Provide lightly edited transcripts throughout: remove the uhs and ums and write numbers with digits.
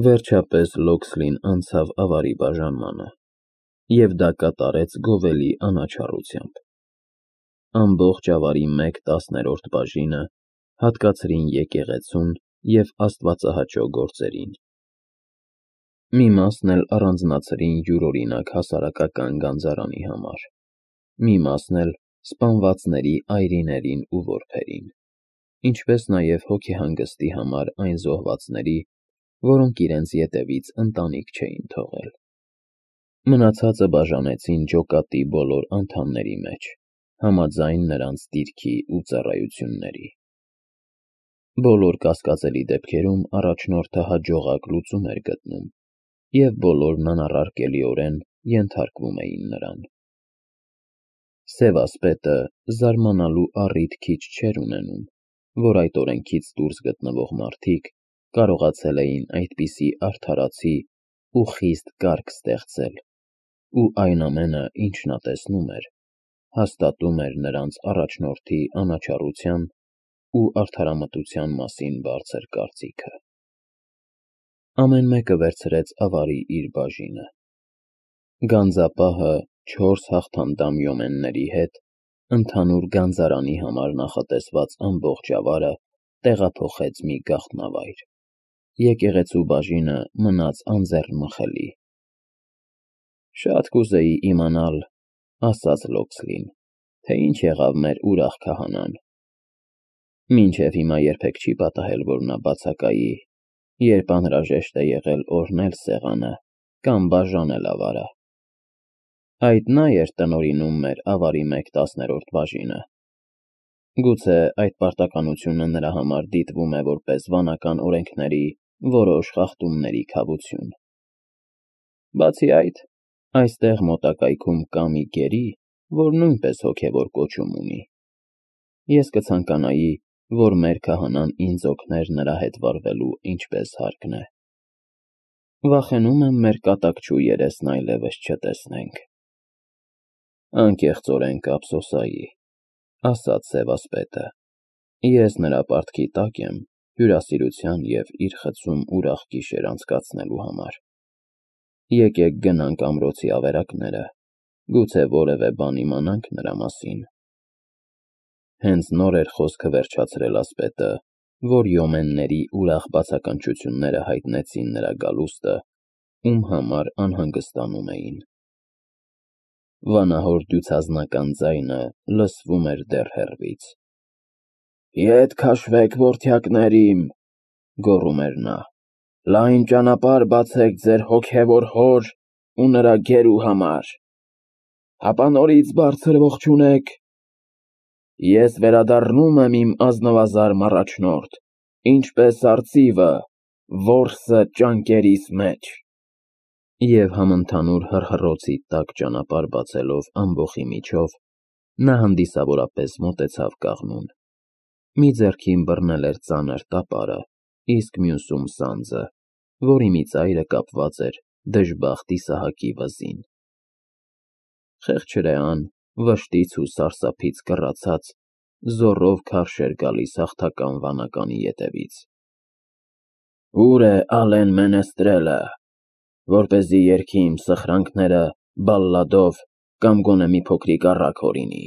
Վերջապես Լոքսլին անցավ ավարի բաժանմանը, և դա կատարեց գովելի անաչառությամբ։ Ամբողջ ավարի 1/10 բաժինը հատկացրին եկեղեցուն և աստվածահաճո գործերին։ Մի մասն էլ առանձնացրին յուրօրինակ հասարակական գանձարանի համար, մի մասն էլ սպանվածների այրիներին ու որբերին, ինչպես նաև հոգեհանգստի համար այն զոհվածների, որոնք իրենց ետևից ընտանիք չէին թողել։ Մնացածը բաժանեցին ջոկատի բոլոր անդամների մեջ, համաձայն նրանց դիրքի ու ծառայությունների։ Բոլոր կասկածելի դեպքերում առաջնորդը հաջողակ լուծում էր գտնում, և բոլորն անառարկելիորեն ենթարկվում էին նրան։ Սևասպետը զարմանալու առիթ քիչ չէր ունենում, որ այդ օրենքից դուրս գտնվող մարդիկ կարողացել էին այդպիսի արդարացի ու խիստ կարգ ստեղծել, ու այն ամենը, ինչ նա տեսնում էր, հաստատում էր նրանց առաջնորդի անաչառության ու արդարամտության մասին բարձր կարծիքը։ Ամեն մեկը վերցրեց ավարի իր բաժինը։ Գանձապահը 4 հաղթանդամ յոմենների հետ ընդհանուր գանձարանի համար նախատեսված ամբողջ ավարը տեղափոխեց մի գաղտնավայր։ Եկեղեցու բաժինը մնաց անձեռնմխելի։ «Շատ կուզեի իմանալ,» ասաց Լոքսլին, «թե ինչ եղավ մեր ուրախ քահանան։ Մինչև հիմա երբեք չի պատահել, որ նա բացակայի, երբ անհրաժեշտ է եղել օրհնել սեղանը կամ բաժանել ավարը։ Այդ նա էր տնօրինում մեր ավարի 1/10 բաժինը։ Գուցե այդ պարտականությունը նրա համար դիտվում է որպես վանական օրենքների որոշ խախտումների քավություն։ Բացի այդ, այստեղ մոտակայքում կա մի գերի, որ նույնպես հոգևոր կոչում ունի։ Ես կցանկանայի, որ մեր քահանան ինձ օգներ նրա հետ վարվելու ինչպես հարկն է։ Վախենում եմ մեր կատակչու երեսն այլևս չտեսնենք»։ «Անկեղծորեն կափսոսայի,» ասաց Սևասպետը, «ես նրա պարտքի տակ եմ հյուրասիրության և իր խցում ուրախ գիշեր անցկացնելու համար։ Եկեք գնանք ամրոցի ավերակները, գուցե որևէ բան իմանանք նրա մասին»։ Հենց նոր էր խոսքը վերջացրել ասպետը, որ յոմենների ուրախ բացականչությունները հայտնեցին նրա գալուստը, ում համար անհանգստանում էին։ Վանահոր դյուցազնական ձայնը լսվում էր դեռ հեռվից։ «Ետ քաշվեք, որդյակներ իմ,» գոռում էր նա, «լայն ճանապարհ բացեք ձեր հոգևոր հոր ու նրա գերու համար։ Հապա նորից բարձր ողջունեք։ Ես վերադառնում եմ իմ ազնվազարմ առաջնորդ, ինչպես արծիվը, որսը ճանկերիս մեջ»։ Եվ համընդհանուր հռհռոցի տակ ճանապարհ բացելով ամբոխի միջով, նա հանդիսավորապես մոտեցավ կաղնուն։ Մի ձեռքին բռնել էր ծանր տապարը, իսկ մյուսում սանձը, որի մի ծայրը կապված էր դժբախտ Իսահակի վզին։ Խեղճրեան, վշտից ու սարսափից կռացած, զոռով քարշ էր գալիս հաղթական վանականի ետևից։ «Ո՞ւր է Ալեն Մենեստրելը, որպեսզի երգի իմ սխրանքները բալլադով կամ գոնե մի փոքրիկ առակ հորինի։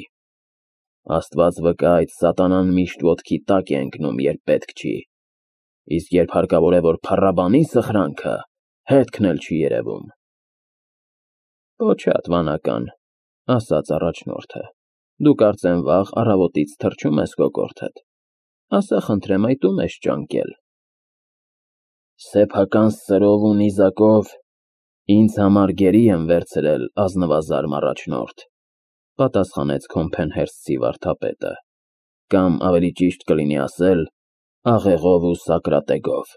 Աստված վկա, այդ սատանան միշտ ոտքի տակ է ընկնում, երբ պետք չի, իսկ երբ հարկավոր է, որ փառաբանի սխրանքը, հետքն էլ չի երևում»։ «Պոչատ վանական,» ասաց առաջնորդը, «դու կարծեմ վաղ առավոտից թրջում ես կոկորդդ, ասա խնդրեմ, այդ ո՞ւմ ես ճանկել»։ «Սեփական սրով ու նիզակով ինձ համար գերի եմ վերցրել ազնվազարմ առաջնորդ», պատասխանեց քոմփեն֊հերթսի վարդապետը, «կամ ավելի ճիշտ կլինի ասել, աղեղով ու սակրատեգով։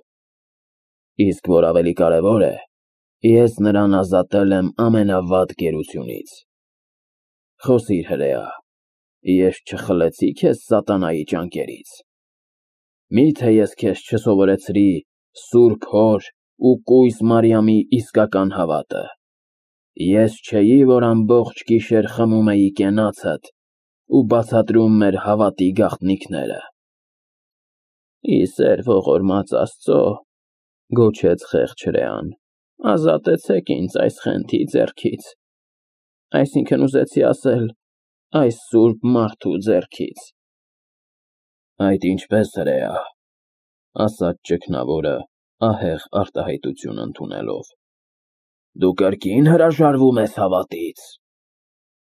Իսկ որ ավելի կարևոր է, ես նրան ազատել եմ ամենավատ գերությունից։ Խոսիր, հրեա, ես չխլեցի՞ քեզ սատանայի ճանկերից։ Մի՞թե ես քեզ չսովորեցրի Սուրբ Հոր ու կույս Մարիամի իսկական հավատը։ Ես չէի, որ ամբողջ գիշեր խմում էի կենացդ ու բացատրում մեր հավատի գաղտնիքները։ Ի սեր ողորմած Աստծո, Գոչեց խեղճ հրեան, ազատեցեք ինձ այս խենթի ձեռքից, այսինքն ուզեցի ասել, այս սուրբ մարդու ձեռքից։ Այդ ինչպես հրեա, ասաց ճգնավորը, ահեղ արտահայտություն ընդունելով։ Դու կրկին հրաժարվում ես հավատից։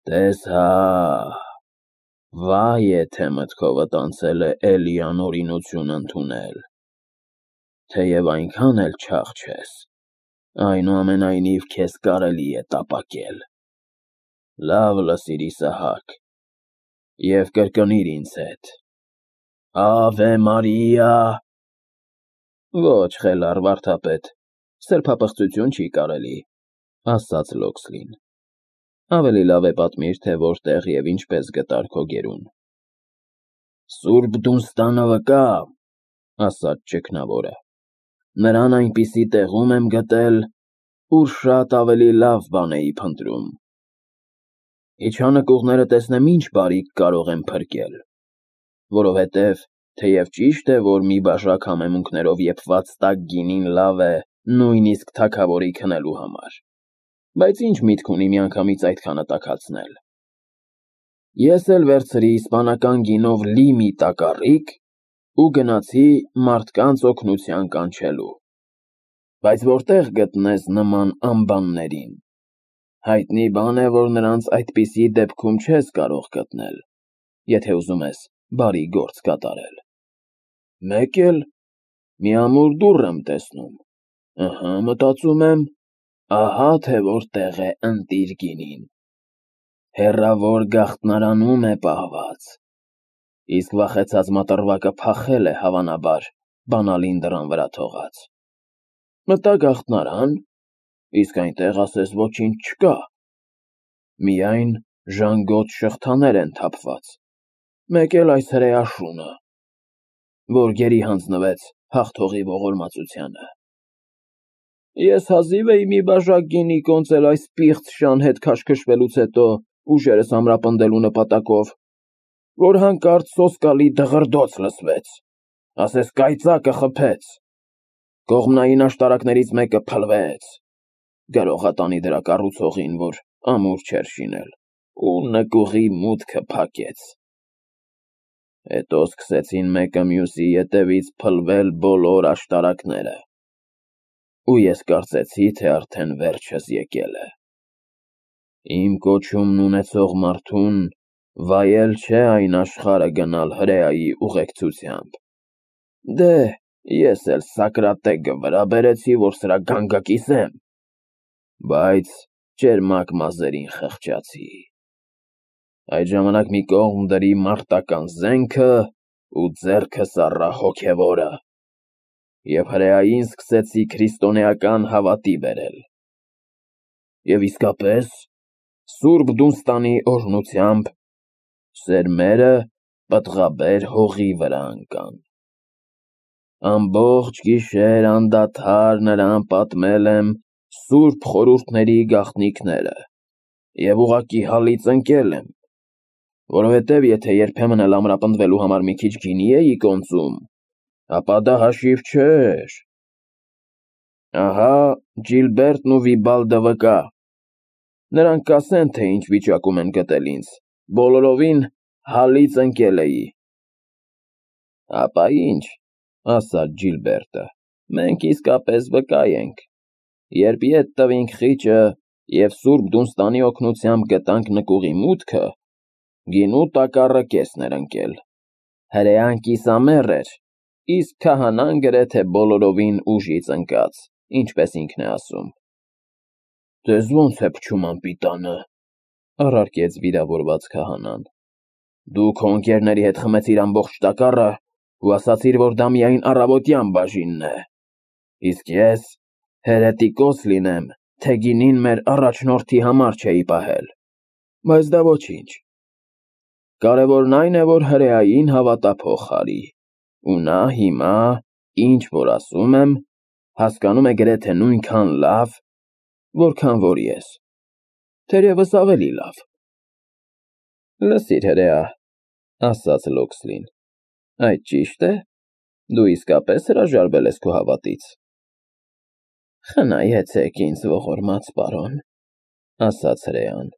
Տես հա, վայ եթե մտքովդ անցել է էլի անօրինություն ընդունել, թեև այնքան էլ չաղ չես, այնուամենայնիվ քեզ կարելի է տապակել։ Լավ լսիր Իսահակ, և կրկնիր ինձ հետ. Ավե Մարիա։ Ոչ, խելառ վարդապետ, սրբապղծություն չի կարելի, ասաց Լոքսլին։ Ավելի լավ է պատմիր, թե որտեղ և ինչպես գտար քո գերուն։ Սուրբ Դունստանը վկա, ասաց ճգնավորը, նրան այնպիսի տեղում եմ գտել, ուր շատ ավելի լավ բան էի փնտրում։ Իջա տեսնեմ ինչ բարիք կարող եմ փրկել, որովհետև թեև ճիշտ է, որ մի բաժակ համեմունքներով եփված տաք գինին լավ է նույնիսկ թագավորի քնելու համար, բայց ինչ միտք ունի միանգամից այդքանը տաքացնել։ Ես էլ վերցրի իսպանական գինով լի մի տակառիկ ու գնացի մարդկանց օգնության կանչելու։ Բայց որտեղ գտնես նման ամբաններին։ Հայտնի բան է, որ նրանց այդպիսի դեպքում չես կարող գտնել, եթե ուզում ես բարի գործ կատարել։ Մեկ էլ մի ամուր դուռ եմ տեսնում, մտածում եմ, ահա թե որտեղ է ընտիր գինին։ Հեռավոր գաղտնարանում է պահված, իսկ վախեցած մատռվակը փախել է հավանաբար բանալին դռան վրա թողած։ Մտա գաղտնարան, իսկ այնտեղ ասես ոչինչ չկա, միայն ժանգոտ շղթաներ են թափված, մեկ էլ այս հրեա շունը, որ գերի հանձնվեց հաղթողի ողորմածությանը։ Ես հազիվ էի մի բաժակ գինի կոնծել այս պիղծ շան հետ քաշքշվելուց հետո ուժերս ամրապնդելու նպատակով, որ հանկարծ սոսկալի դղրդոց լսվեց, ասես կայծակը խփեց, կողմնային աշտարակներից մեկը փլվեց, գրողատանի դրա կառուցողին, որ ամուր չէր շինել, ու նկուղի մուտքը փակեց։ Հետո սկսեցին մեկը մյուսի ետևից փլվել բոլոր աշտարակները, ու ես կարծեցի, թե արդեն վերջս եկել է։ Իմ կոչումն ունեցող մարդուն վայել չէ այն աշխարհը գնալ հրեայի ուղեկցությամբ։ Դե, ես էլ Սոկրատեկը վրա բերեցի, որ սրա գանգը կիսեմ, բայց ճերմակ մազերին խղճացի։ Այդ ժամանակ մի կողմ դրի մարտական զենքը ու ձեռքս առա հոգևորը, և հրեային սկսեցի քրիստոնեական հավատի բերել։ Եվ իսկապես, Սուրբ Դունստանի օրհնությամբ, սերմերը պտղաբեր հողի վրա ընկան։ Ամբողջ գիշեր անդադար նրան պատմել եմ սուրբ խորհուրդների գաղտնիքները և ուղղակի հալից ընկել եմ, որովհետև եթե երբեմն էլ ամրապնդվելու համար մի քիչ գինի էի կոնծում, ապա դա հաշիվ չէր։ Ահա Ջիլբերտն ու Վիբալդը վկա, նրանք կասեն, թե ինչ վիճակում են գտել ինձ, բոլորովին հալից ընկել էի։ Ապա ինչ, ասաց Ջիլբերտը, մենք իսկապես վկա ենք, երբ ետ տվինք խիճը և Սուրբ Դունստանի օգնությամբ գտանք նկուղի մուտքը, գինու տակառը կեսն էր ընկել, հրեան կիսամեռ էր, իսկ քահանան գրեթե բոլորովին ուժից ընկած, ինչպես ինքն է ասում։ Ձեզ ո՞նց է փչում անպիտանը, առարկեց վիրավորված քահանան։ Դու քո ընկերների հետ խմեցիր ամբողջ տակառը ու ասացիր, որ դա միայն առավոտյան բաժինն է, իսկ ես հերետիկոս լինեմ, թե գինին մեր առաջնորդի համար չէի պահել, բայց դա ոչինչ։ Կարևորն այն է, որ հրեային հավատափող խարի, ու նա հիմա, ինչ որ ասում եմ, հասկանում է գրեթե նույնքան լավ, որքան որ ես, թերևս ավելի լավ։ Լսիր հրեա, ասաց Լոքսլին, այդ ճիշտ է, դու իսկապես հրաժարվել ես քո հավատից։ Խնայեցեք ինձ ողորմած պարոն, ասաց հրեան,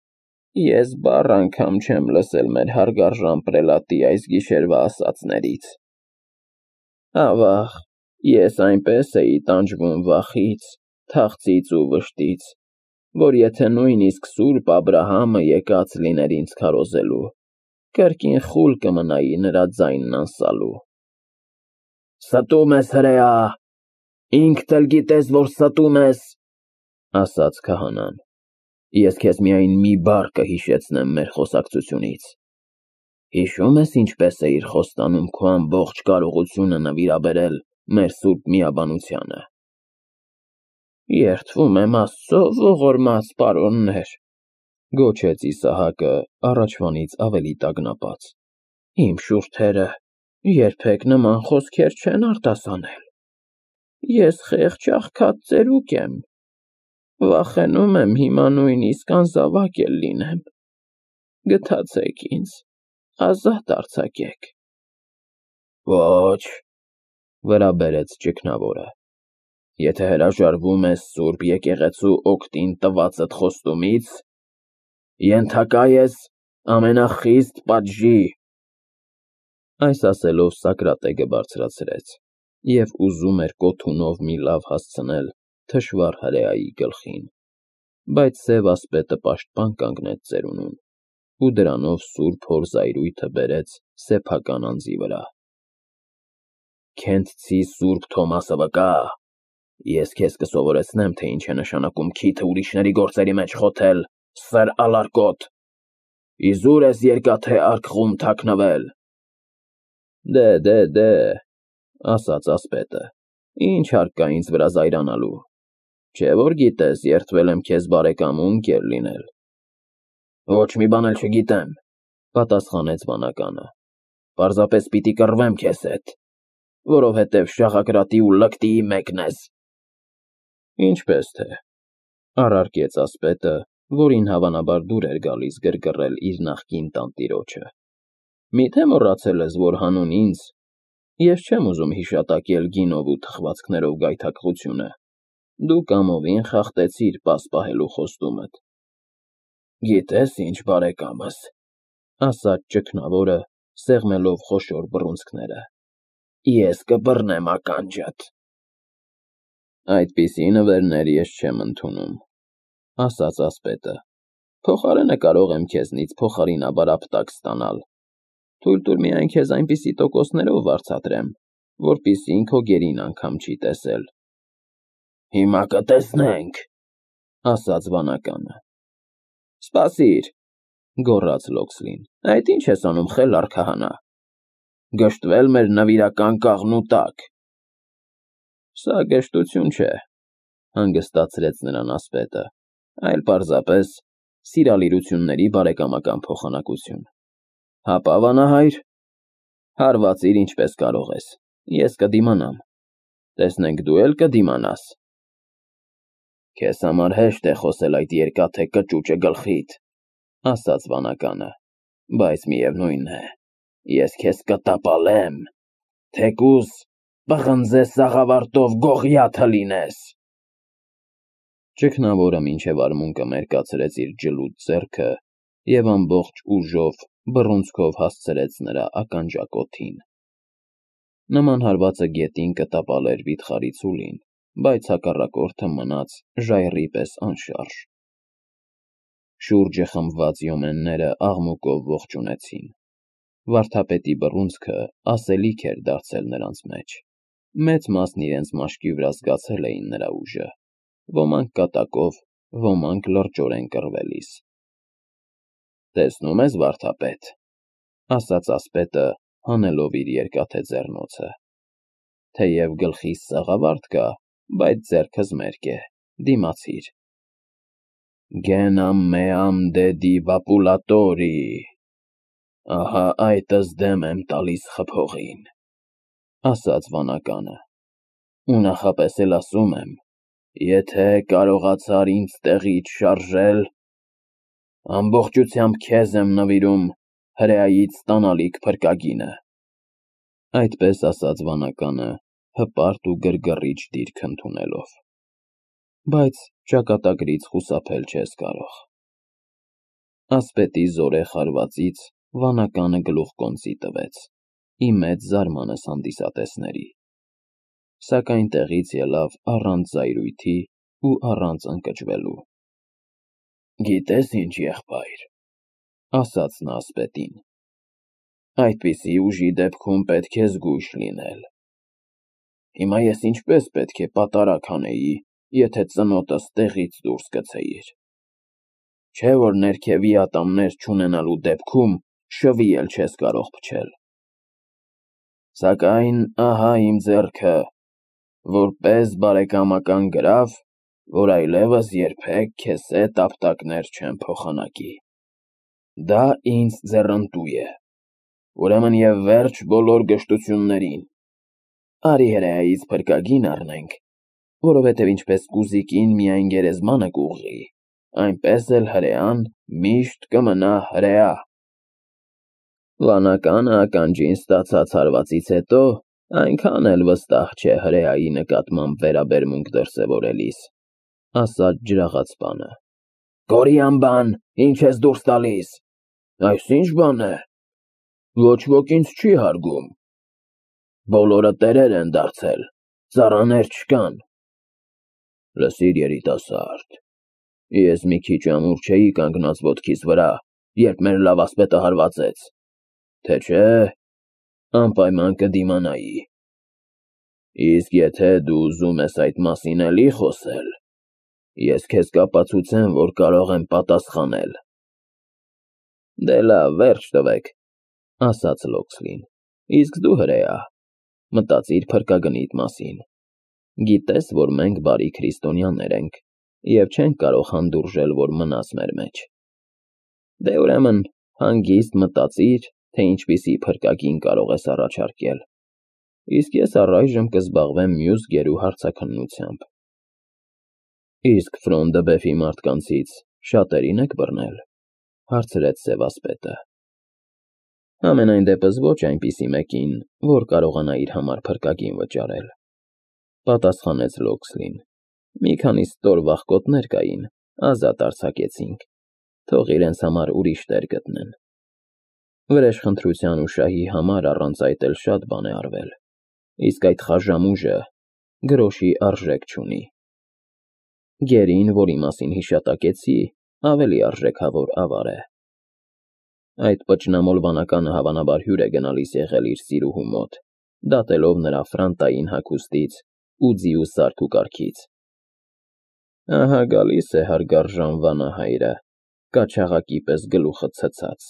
ես բառ անգամ չեմ լսել մեր հարգարժան պրելատի այս գիշերվա ասածներից։ Ավաղ, ես այնպես էի տանջվում վախից, թախծից ու վշտից, որ եթե նույնիսկ Սուրբ Աբրահամը եկած լիներ ինձ քարոզելու, կրկին խուլ կմնայի նրա ձայնն անսալու։ Ստում ես, հրեա, ինքդ էլ գիտես, որ ստում ես, ասաց քահանան, ես քեզ միայն մի բառ կհիշեցնեմ մեր խոսակցությունից։ Հիշո՞ւմ ես ինչպես էիր խոստանում քո ամբողջ կարողությունը նվիրաբերել մեր սուրբ միաբանությանը։ Երդվում եմ Աստծո, ողորմած պարոններ, գոչեց Իսահակը առաջվանից ավելի տագնապած, իմ շուրթերը երբեք նման խոսքեր չեն արտասանել։ Ես խեղճ աղքատ ծերուկ եմ, վախենում եմ հիմա նույնիսկ անզավակ էլ լինեմ։ Գթացեք ինձ, ազատ արձակեք։ Ոչ, վրա բերեց ճգնավորը, եթե հրաժարվում ես Սուրբ եկեղեցու օգտին տվածդ խոստումից, ենթակա ես ամենախիստ պատժի։ Այս ասելով Սոկրատեկը բարձրացրեց և ուզում էր կոթունով մի լավ հասցնել թշվառ հրեայի գլխին, բայց սև ասպետը պաշտպան կանգնեց ծերունուն ու դրանով սուրբ հոր զայրույթը բերեց սեփական անձի վրա։ Քենթցի Սուրբ Թոմասը վկա, ես քեզ կսովորեցնեմ, թե ինչ է նշանակում քիթը ուրիշների գործերի մեջ խոթել, սր ալարկոտ, իզուր ես երկաթե արկղում թաքնվել։ Դե, ասաց ասպետը, ինչ հարկ կա ինձ վրա զայրանալու, չէ որ գիտես, երդվել եմ քեզ բարեկամ ու ընկեր լինել։ Ոչ մի բան էլ չգիտեմ, պատասխանեց վանականը, պարզապես պիտի կռվեմ քեզ հետ, որովհետև շաղակրատի ու լկտիի մեկն ես։ Ինչպես թե, առարկեց ասպետը, որին հավանաբար դուր էր գալիս գրգռել իր նախկին տանտիրոջը։ Միթե մոռացել ես, որ հանուն ինձ ես չեմ ուզում հիշատակել գինով ու թխվածքներով գայթակղությունը, դու կամովին խախտեցիր պասպահելու խոստումդ։ Գիտես ինչ, բարեկամս, ասաց ճգնավորը, սեղմելով խոշոր բռունցքները, ես կբռնեմ ականջդ։ Այդպիսի նվերներ ես չեմ ընդունում, ասաց ասպետը, փոխարենը կարող եմ քեզնից փոխարինաբար ապտակ ստանալ։ Թույլ տուր միայն քեզ այնպիսի տոկոսներով վարձատրեմ, որպիսին քո գերին անգամ չի տեսել։ Հիմա կտեսնենք, ասաց վանականը։ Սպասիր, գոռաց Լոքսլին, այդ ինչ ես անում, խելառ քահանա, գժտվել մեր նվիրական կաղնու տակ։ Սա գժտություն չէ, հանգստացրեց նրան ասպետը, այլ պարզապես սիրալիրությունների բարեկամական փոխանակություն։ Հապա վանահայր, հարվածիր ինչպես կարող ես, ես կդիմանամ, տեսնենք դու էլ կդիմանաս։ Քեզ համար հեշտ է խոսել այդ երկաթե կճուճը գլխիդ, ասաց վանականը, բայց միևնույն է, ես քեզ կտապալեմ, թեկուզ պղնձե սաղավարտով գողիաթը լինես։ Ճգնավորը մինչև արմունկը մերկացրեց իր ջլուդ ձեռքը և ամբողջ ուժով բռունցքով հասցրեց նրա ականջակոթին։ Նման հարվածը գետին կտապալեր վիթխարի ցուլին, բայց հակառակորդը մնաց ժայռի պես անշարժ։ Շուրջը խմբված յոմենները աղմուկով ողջունեցին։ Վարդապետի բռունցքը ասելիք էր դարձել նրանց մեջ։ Մեծ մասն իրենց մաշկի վրա զգացել էին նրա ուժը, ոմանք կատակով, ոմանք լրջորեն կռվելիս։ Տեսնում ես, վարդապետ, ասաց ասպետը, հանելով իր երկաթե ձեռնոցը, թեև գլխիս սաղավարտ կա, բայց ձեռքս մերկ է, դիմացիր։ Genam meam dedi vapulatori, ահա այդս դեմ եմ տալիս խփողին, ասաց վանականը, ու նախապես էլ ասում եմ, եթե կարողացար ինձ տեղից շարժել, ամբողջությամբ քեզ եմ նվիրում հրեայից ստանալիք փրկագինը։ Այդպես ասաց վանականը, հպարտ ու գրգռիչ դիրք ընդունելով։ բայց ճակատագրից խուսափել չես կարող։ Ասպետի զորեղ հարվածից վանականը գլուխկոնծի տվեց, ի մեծ զարմանս հանդիսատեսների, սակայն տեղից ելավ առանց զայրույթի ու առանց ընկճվելու։ «Գիտես ինչ, եղբայր,» ասաց նա ասպետին, «այդպիսի ուժի դեպքում պետք է զգույշ լինել։ Հիմա ես ինչպես պետք է պատարագ անեի, եթե ծնոտս տեղից դուրս գցեիր։ Չէ՞ որ ներքևի ատամներ չունենալու դեպքում շվի էլ չես կարող փչել։ Սակայն ահա իմ ձեռքը, որպես բարեկամական գրավ, որ այլևս երբեք քեզ հետ ապտակներ չեմ փոխանակի։ Դա ինձ ձեռնտու է, ուրեմն և վերջ բոլոր գժտություններին։ Արի հրեայից փրկագին առնենք, որովհետև ինչպես կուզիկին միայն գերեզմանը կուղղի, այնպես էլ հրեան միշտ կմնա հրեա»։ Վանականը ականջին ստացած հարվածից հետո այնքան էլ վստահ չէ հրեայի նկատմամբ վերաբերմունք դրսևորելիս, ասաց ջրաղաց պանը։ «Կորյան բան, ինչ ես դուրս տալիս, այս ինչ բան է, ոչ ոք ինձ չի հարգում, բոլորը տերեր են դարձել, ծառաներ չկան։ Լսիր, երիտասարդ, ես մի քիչ ամուր չէի կանգնած ոտքիս վրա, երբ մեր լավ ասպետը հարվածեց, թե չէ անպայման կդիմանայի։ Իսկ եթե դու ուզում ես այդ մասին էլի խոսել, ես քեզ կապացուցեմ, որ կարող եմ պատասխանել»։ Դե լավ, վերջ տվեք, ասաց Լոքսլին, իսկ դու հրեա, մտածիր փրկագնիդ մասին։ Գիտես, որ մենք բարի քրիստոնյաներ ենք և չենք կարող հանդուրժել, որ մնաս մեր մեջ։ Դե ուրեմն հանգիստ մտածիր, թե ինչպիսի փրկագին կարող ես առաջարկել, իսկ ես առայժմ կզբաղվեմ մյուս գերու հարցաքննությամբ։ Իսկ Ֆրոնդը բեֆի մարդկանցից շատերին եք բռնել, հարցրեց սևասպետը։ Համենայն դեպս ոչ այնպիսի մեկին, որ կարողանա իր համար փրկագին վճարել, պատասխանեց Լոքսլին։ Մի քանի ստոր վախկոտներ կային, ազատ արձակեցինք, թող իրենց համար ուրիշ տեր գտնեն։ Վրեժխնդրության ու շահի համար առանց այդ էլ շատ բան է արվել, իսկ այդ խաժամուժը գրոշի արժեք չունի։ Գերին, որի մասին հիշատակեցի, ավելի արժեքավոր ավար է։ Այդ պճնամոլ վանականը հավանաբար հյուր է գնալիս եղել իր սիրուհու մոտ, դատելով նրա ֆրանտային հագուստից ու ձիու սարք ու կարգից։ Ահա գալիս է հարգարժան վանահայրը, կաչաղակի պես գլուխը ցցած։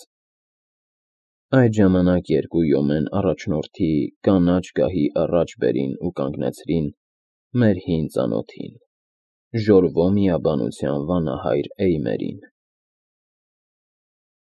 Այդ ժամանակ երկու յոմեն առաջնորդի կանաչ գահի առաջ բերին ու կանգնեցրին մեր հին ծանոթին, Ժորվո միաբանության վանահայր Էյմերին։